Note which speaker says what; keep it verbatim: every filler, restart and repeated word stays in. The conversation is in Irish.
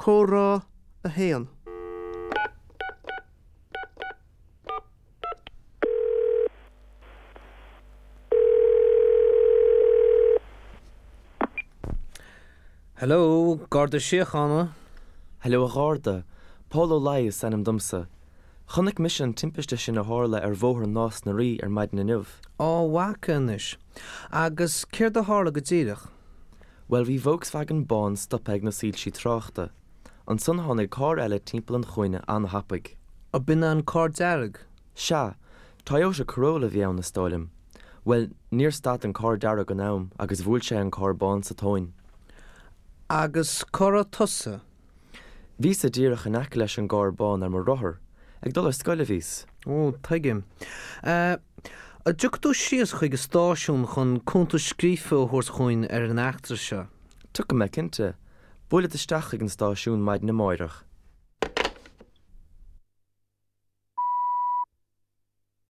Speaker 1: Comhrá a haon.
Speaker 2: Hello, Garda Síochána.
Speaker 3: Hello a Gharda, Pól Ó Laoi is ainm domsa. Chonaic mise an timpiste sin a tharla ar Bhóthar Nás na Rí ar maidin inniu.
Speaker 2: Á bhfaca anois. Agus céard a tharla go díreach?
Speaker 3: Bhuel bhí Volkswagen bán stoptha ag na soilsí tráchta. Ansan tháinig carr eile timpeall an chúinne an-tapaidh.
Speaker 2: Ó b'in an carr dearg?
Speaker 3: Sea, Toyota Corolla a bhí ann is dóigh liom. Bhuel, níor stad an carr dearg in am agus bhuail sé an carr bán sa tóin.
Speaker 2: Agus cá raibh tusa?
Speaker 3: Bhíos-sa díreach in aice leis an gcarr bán ar mo rothar, ag dul ar scoil a bhíos.
Speaker 2: Ó, tuigim. An dtiocfaidh tú síos chuig an stáisiún chun cuntas scríofa a thabhairt chugainn ar an eachtra seo?
Speaker 3: Tiocfaidh mé cinnte. Buailfead isteach chuig an stáisiún maidin amárach.